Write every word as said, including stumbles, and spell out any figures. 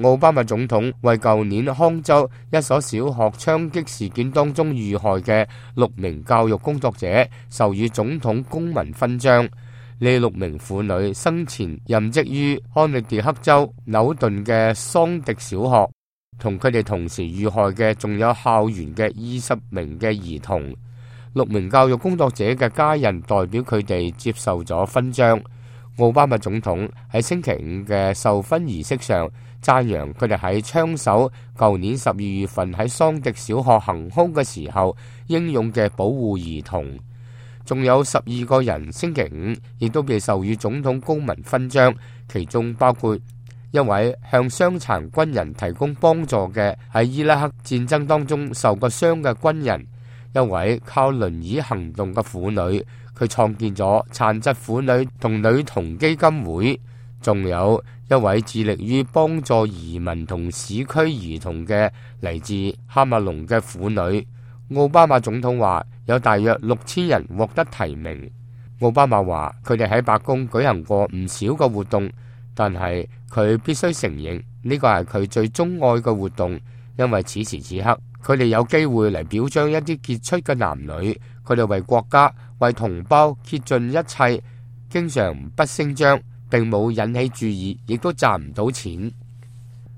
奧巴馬總統為舊年康州一所小學槍擊事件當中遇害嘅六名教育工作者授予總統公民勳章。呢六名婦女生前任職於康涅狄克州紐頓嘅桑迪小學，同佢哋同時遇害嘅仲有校園嘅二十名嘅兒童。六名教育工作者嘅家人代表佢哋接受咗勳章。奧巴馬總統喺星期五嘅授勳儀式上讚揚佢哋喺槍手舊年十二月份喺桑迪小學行兇嘅時候英勇嘅保護兒童。仲有十二個人星期五亦都被授予總統公民勳章，其中包括一位向傷殘軍人提供幫助嘅喺伊拉克戰爭當中受過傷嘅軍人，一位靠輪椅行動嘅婦女，佢創建咗殘疾婦女同女童基金會，仲有一位致力於幫助移民同市區兒童嘅嚟自哈馬龍嘅婦女。奧巴馬總統話有大約六千人獲得提名。奧巴馬話佢哋喺白宮舉行過唔少嘅活動，但係佢必須承認呢個係佢最鍾愛嘅活動，因為此時此刻佢哋有機會嚟表彰一啲傑出嘅男女，佢哋為國家為同胞竭盡一切，經常不聲張，並冇引起注意，亦都賺唔到錢。